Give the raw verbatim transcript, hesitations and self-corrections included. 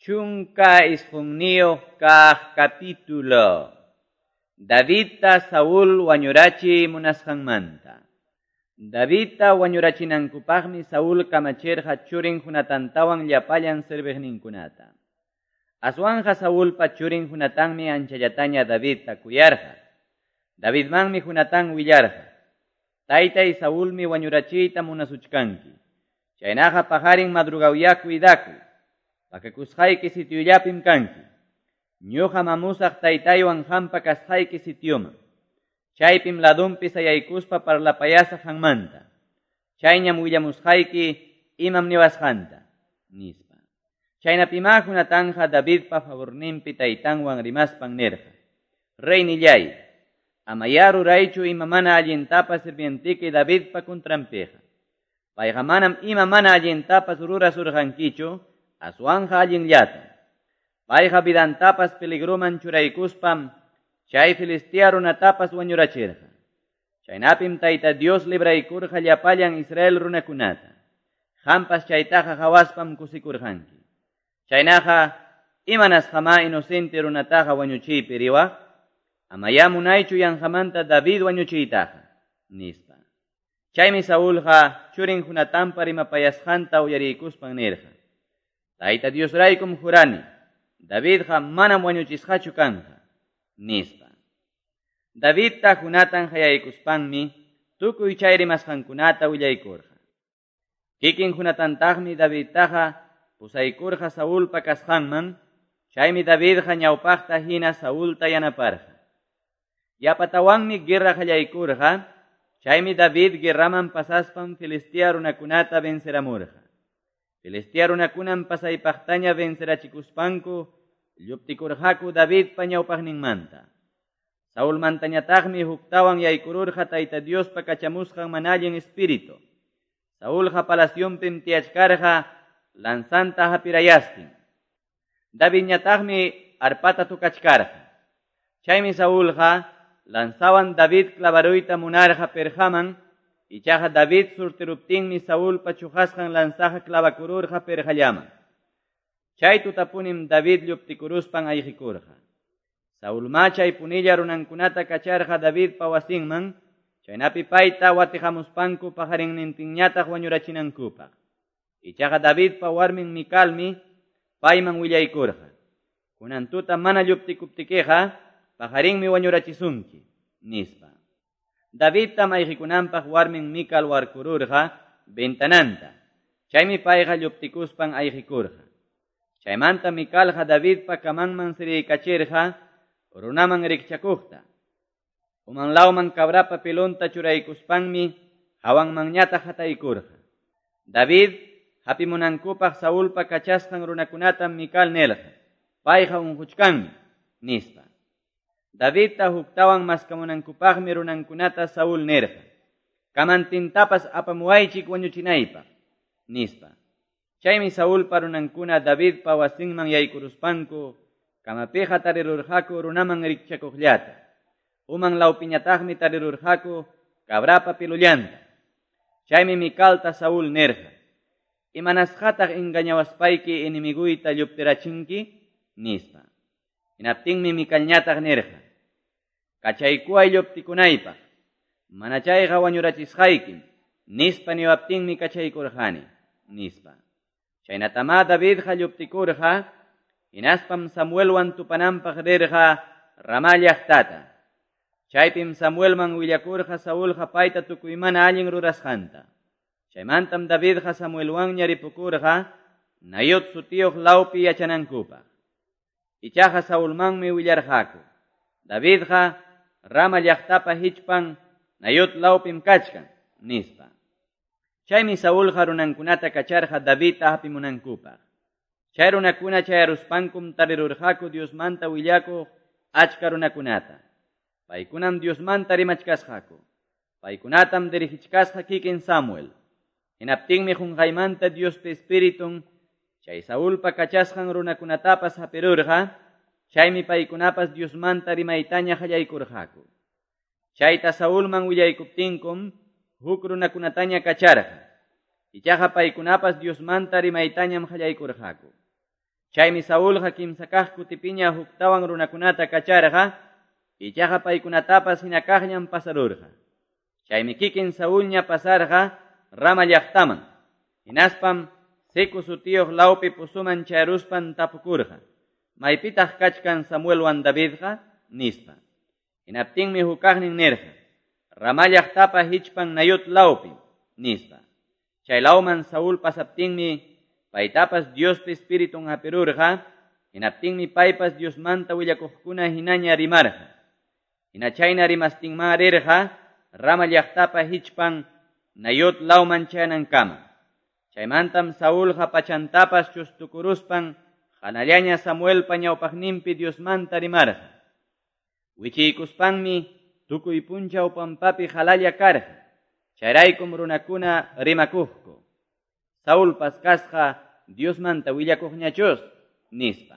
Chunka isqunniyuq kaq capítulo. Davidta Saúl wañurachi munasqanmanta. Davidta wañurachinankupaqmi Saúl kamachirqa churin Jonatantawan llapallan serviqninkunata. Aswanja Saúlpa churin Jonatanmi anchallataña Davidta kuyarqa. Davidmanmi Jonatán willarqa. Taytay Saúlmi wañurachiyta munasuchkanki. Chaynaqa paqarin madrugawya cuidakuy. Pakakusqayki sitiollapim kanki. Ñuqa mamusaq taytaywan hampa kasqayki sitioman. Chaypim ladunpi sayaykuspa parlapayasaq hanmanta. Chayñam willamusqayki imam niwasqanta, nispa. Chaynapimá Jonatanja Davidpa favorninpi taytanwan rimaspan nirqa. Reynillay, amayá ruraychu ima mana allintapas sirvientiki Davidpa contranpiqa. Payqa manam ima mana allintapas rurasurqankichu, aswanja allinllata. Payqa vidantapas peligroman churaykuspam chay Filistea runatapas wañurachirqa. Chaynapim Tayta Dios libraykurqa llapallan Israel runakunata. Hampas chaytaqa hawaspam kusikurqanki. Chaynaqa imanasqamá inocente runataqa wañuchiypi riwaq? Amayá munaychu yanqamanta David wañuchiytaqa, nispa. Chaymi Saúlqa churin Jonatanpa rimapayasqanta uyariykuspan nirqa. Tayta Diosraykum jurani, Davidqa manam wañuchisqachu kanqa, nispa. Davidta Jonatán hayaykuspanmi tukuy chay rimasqankunata willaykurqa. Kikin Jonatantaqmi Davidtaqa pusaykurqa Saúlpa kasqanman, chaymi Davidqa ñawpaqta hina Saúlta yanaparqa. Yapatawanmi guerra qallaykurqa, chaymi David guerraman pasaspan Filistea runakunata venceramurqa. Filistea runakunam pasaypaqtaña vencerachikuspanku lluptikurqaku Davidpa ñawpaqninmanta. Saúlmantañataqmi huktawan yaykururqa Tayta Diospa kachamusqan mana allin espíritu. Saúlqa palacionpim tiyachkarqa lanzanta hapirayastin. Davidñataqmi arpata tukachkarqa. Chaymi Saúlqa lanzawan David clavaruyta munarqa perqaman, ichaqa David surtiruptinmi Saúlpa chuqasqan lanzaqa clavakururqa perqallaman. Chay tutapunim David lluptikuruspan ayqikurqa. Saúlma chay punilla runankunata kacharqa Davidpa wasinman, chaynapi payta watihamuspanku paqarinnintinñataq wañurachinankupaq. Ichaqa Davidpa warmin Micalmi payman willaykurqa. Kunan tuta mana lluptikuptikiqa paqarinmi wañurachisunki, nispa. Davidta ayqikunanpaq warmin Mical warkururqa ventananta. Chaymi payqa lluptikuspan ayqikurqa. Chaymanta Micalqa Davidpa kamanman siriykachirqa runaman rikchakuqta. Umanlawman cabrapa pelonta churaykuspanmi hawanmanñataq hataykurqa. David hapimunankupaq Saúlpa kachasqan runakunatam Mical nirqa. Payqa unquchkanmi, nispa. Davidta huktawan maskamunankupaqmi runankunata Saúl nirqa. Kamantintapas apamuwaychik wañuchinaypaq, nispa. Chaymi Saúlpa runankuna Davidpa wasinman yaykuruspanku kamapiqa tarirurqaku runaman rikchakuqllata. Uman lawpiñataqmi tarirurqaku cabrapa pilullanta. Chaymi Micalta Saúl nirqa. Imanasqataq engañawaspayki enemiguyta lluptirachinki, nispa. Hinaptinmi Micalñataq nirqa. Kachaykuway lluptikunaypaq, mana chayqa wañurachisqaykim, nispa niwaptinmi kachaykurqani, nispa. Chaynatamá Davidqa lluptikurqa, hinaspam Samuelwan tupananpaq rirqa Ramá llaqtata. Chaypim Samuelman willakurqa Saúlqa payta tukuy mana allin rurasqanta. Chaymantam Davidqa Samuelwanña ripukurqa Nayot sutiyuq lawpi yachanankupaq. Ichaqa Saúlmanmi willarqaku. Davidqa Rama llaqtapa hichpan Nayot lawpim kachkan, nispa. Chaymi Saúlqa runankunata kacharqa Davidta hapimunankupaq. Chay runakuna chayaruspankum tarirurqaku Diosmanta willakuq achka runakunata. Paykunam Diosmanta rimachkasqaku. Paykunatam dirigichkasqa kikin Samuel. Hinaptinmi qunqaymanta Diospa Espiritun chay Saúlpa kachasqan runakunatapas hapirurqa, chaymi paykunapas Diosmanta rimaytaña qallaykurqaku. Chayta Saúlman willaykuptinkum huk runakunataña kacharqa. Ichaqa paykunapas Diosmanta rimaytañam qallaykurqaku. Chaymi Saulqa kimsa kaq kutipiña huktawan runakunata kacharqa, ichaqa paykunatapas hina kaqllam pasarurqa. Chaymi kikin Saulña pasarqa Rama llaqtaman. Hinaspam Secu sutiyuq lawpi pozoman chayaruspan tapukurqa: "¿Maypitaq kachkan Samuelwan Davidqa?" nispa. Hinaptinmi hukaqnin nirqa: "Rama llaqtapa hichpan Nayot lawpi", nispa. Chay lawman Saúl pasaptinmi paytapas Diospa Espiritun hapirurqa, hinaptinmi paypas Diosmanta willakuqkuna hinaña rimarqa. Hina chayna rimastinma rirqa Rama llaqtapa hichpan Nayot lawman chayanankama. Chaymantam Saulqa pachantapas chustukuruspan hanallaña Samuelpa ñawpaqninpi Diosmanta rimarqa. Wichiykuspanmi tukuy punchaw pampapi halalla karqa. Chayraykum runakuna rimakuqku: "Saulpas kasqa Diosmanta willakuqñachus", nispa.